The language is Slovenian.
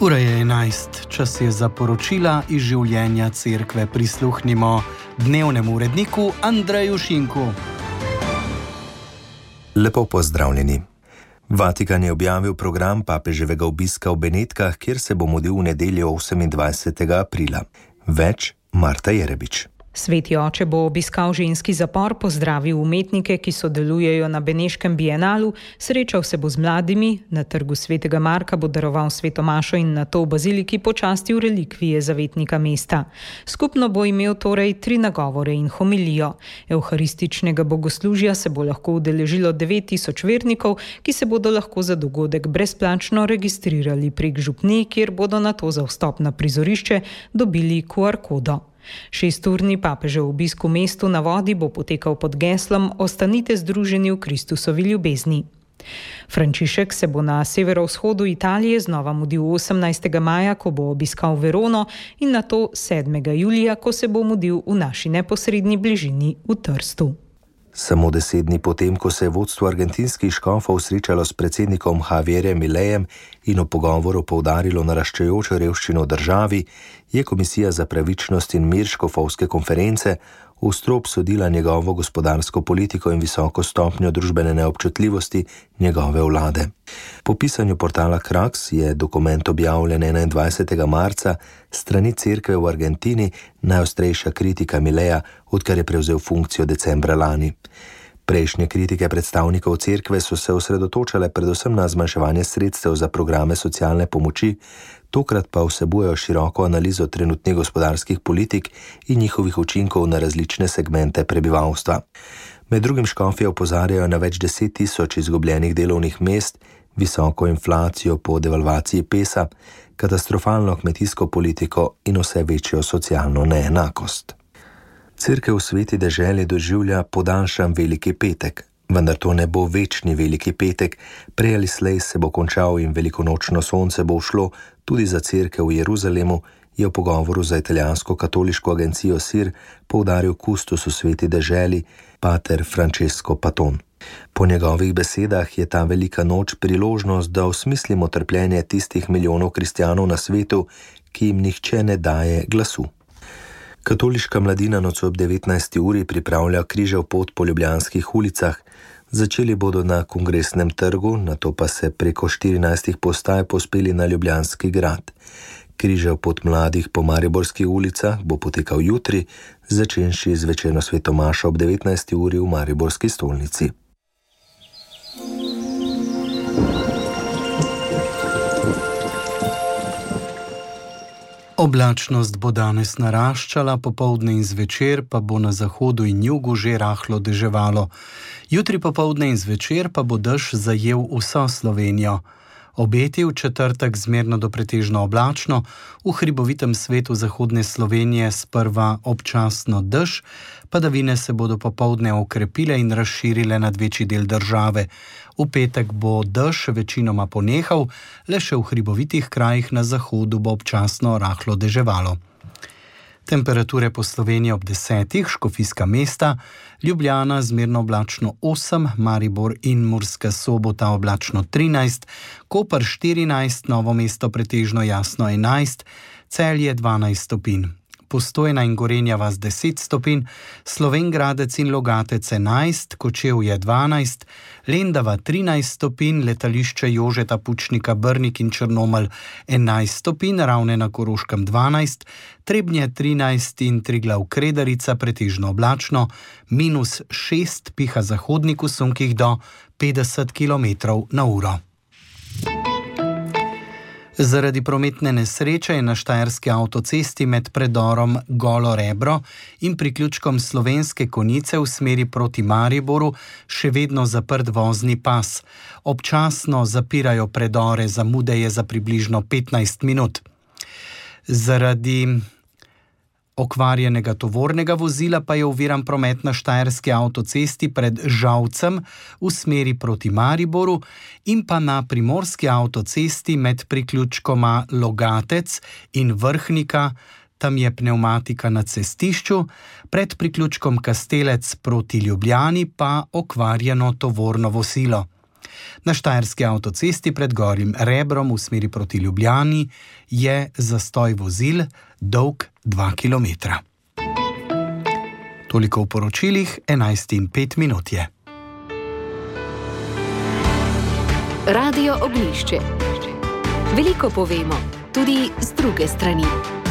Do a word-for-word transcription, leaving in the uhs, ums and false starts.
Ura je enajst, čas je za poročila iz življenja cerkve. Prisluhnimo dnevnemu uredniku Andreju Šinku. Lepo pozdravljeni. Vatikan je objavil program papeževega obiska v Benetkah, kjer se bo mudil v nedeljo osemindvajsetega aprila. Več Marta Jerebič. Sveti oče bo obiskal ženski zapor, pozdravil umetnike, ki sodelujejo na Beneškem bienalu, srečal se bo z mladimi, na trgu svetega Marka bo daroval sveto mašo in nato v baziliki počastil relikvije zavetnika mesta. Skupno bo imel torej tri nagovore in homilijo. Evharističnega bogoslužja se bo lahko udeležilo devet tisoč vernikov, ki se bodo lahko za dogodek brezplačno registrirali prek župnij, kjer bodo nato za vstop na prizorišče dobili Q R kodo. Šesturni papežev obisk v mestu na vodi bo potekal pod geslom Ostanite združeni v Kristusovi ljubezni. Frančišek se bo na severovzhodu Italije znova mudil osemnajstega maja, ko bo obiskal Verono, in nato sedmega julija, ko se bo mudil v naši neposredni bližini v Trstu. Samo deset dni potem, ko se je vodstvo argentinskih škofov srečalo s predsednikom Javierjem Milejem in v pogovoru poudarilo naraščajočo revščino v državi, je Komisija za pravičnost in mir škofovske konference ostro obsodila njegovo gospodarsko politiko in visoko stopnjo družbene neobčutljivosti njegove vlade. Po pisanju portala Krax je dokument objavljen enaindvajsetega marca strani cerkve v Argentini najostrejša kritika Mileja, odkar je prevzel funkcijo decembra lani. Prejšnje kritike predstavnikov cerkve so se osredotočale predvsem na zmanjševanje sredstev za programe socialne pomoči, tokrat pa vsebujejo široko analizo trenutnih gospodarskih politik in njihovih učinkov na različne segmente prebivalstva. Med drugim škofje opozarjajo na več deset tisoč izgubljenih delovnih mest, visoko inflacijo po devalvaciji pesa, katastrofalno kmetijsko politiko in vse večjo socialno neenakost. Cerkev v Sveti deželi doživlja podaljšan Veliki petek, vendar to ne bo večni Veliki petek, prej ali slej se bo končal in velikonočno sonce bo ušlo tudi za cerkev v Jeruzalemu, je v pogovoru za italijansko katoliško agencijo S I R poudaril kustos v Sveti deželi, pater Francesco Paton. Po njegovih besedah je ta velika noč priložnost, da osmislimo trpljenje tistih milijonov kristjanov na svetu, ki jim nihče ne daje glasu. Katoliška mladina nocoj ob devetnajsti uri pripravlja križev pot po ljubljanskih ulicah. Začeli bodo na Kongresnem trgu, nato pa se preko štirinajstih postaj pospeli na Ljubljanski grad. Križev pot mladih po mariborskih ulicah bo potekal jutri, začenši z večerno sveto mašo ob devetnajsti uri v mariborski stolnici. Oblačnost bo danes naraščala, popoldne in zvečer pa bo na zahodu in jugu že rahlo deževalo. Jutri popoldne in zvečer pa bo dež zajel vso Slovenijo. Obeti v četrtek zmerno do pretežno oblačno, v hribovitem svetu zahodne Slovenije sprva občasno dež, padavine se bodo popoldne okrepile in razširile nad večji del države. V petek bo dež večinoma ponehal, le še v hribovitih krajih na zahodu bo občasno rahlo deževalo. Temperature po Sloveniji ob desetih, Škofijska mesta, Ljubljana zmerno oblačno osem, Maribor in Murska Sobota oblačno trinajst, Koper štirinajst, Novo mesto pretežno jasno enajst, Celje dvanajst stopinj. Postojna in Gorenja vas deset stopinj, Slovenj Gradec in Logatec enajst, Kočevje dvanajst, Lendava trinajst stopinj, letališče Jožeta Pučnika Brnik in Črnomelj enajst stopinj, Ravne na Koroškem dvanajst, Trebnje trinajst in Triglav Kredarica pretežno oblačno, minus šest, piha zahodnik v sunkih do petdeset kilometrov na uro. Zaradi prometne nesreče je na štajerski avtocesti med predorom Golo Rebro in priključkom Slovenske Konjice v smeri proti Mariboru še vedno zaprt vozni pas. Občasno zapirajo predore, zamude je za približno petnajst minut. Zaradi okvarjenega tovornega vozila pa je oviran promet na štajerski avtocesti pred Žalcem v smeri proti Mariboru in pa na primorski avtocesti med priključkoma Logatec in Vrhnika, tam je pnevmatika na cestišču, pred priključkom Kastelec proti Ljubljani pa okvarjeno tovorno vozilo. Na štajerski avtocesti pred Gornjim Rebrom v smeri proti Ljubljani je zastoj vozil dolg dva kilometra. Toliko v poročilih, enajst in pet minut je. Radio Oglišče. Veliko povemo, tudi z druge strani.